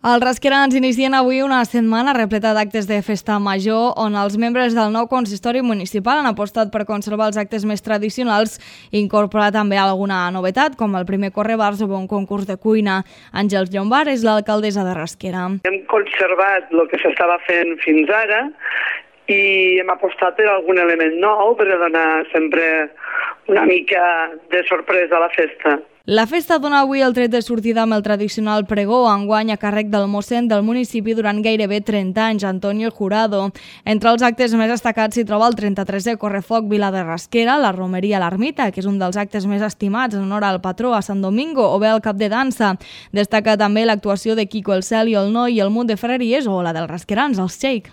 Els rasquerans inicien avui una setmana repleta d'actes de festa major on els membres del nou consistori municipal han apostat per conservar els actes més tradicionals i incorporar també alguna novetat, com el primer correbars o un concurs de cuina. Àngels Llombard és l'alcaldessa de Rasquera. Hem conservat el que s'estava fent fins ara i hem apostat per algun element nou per donar sempre una mica de sorpresa a la festa. La festa dona avui el tret de sortida amb el tradicional pregó, enguany a càrrec del mossèn del municipi durant gairebé 30 anys, Antonio Jurado. Entre els actes més destacats s'hi troba el 33è Correfoc Vila de Rasquera, la romeria a l'Ermita, que és un dels actes més estimats en honor al patró a Sant Domingo, o bé el cap de dansa. Destaca també l'actuació de Quico el Cel i el Noi i el munt de ferreries o la dels rasquerans, els Shake.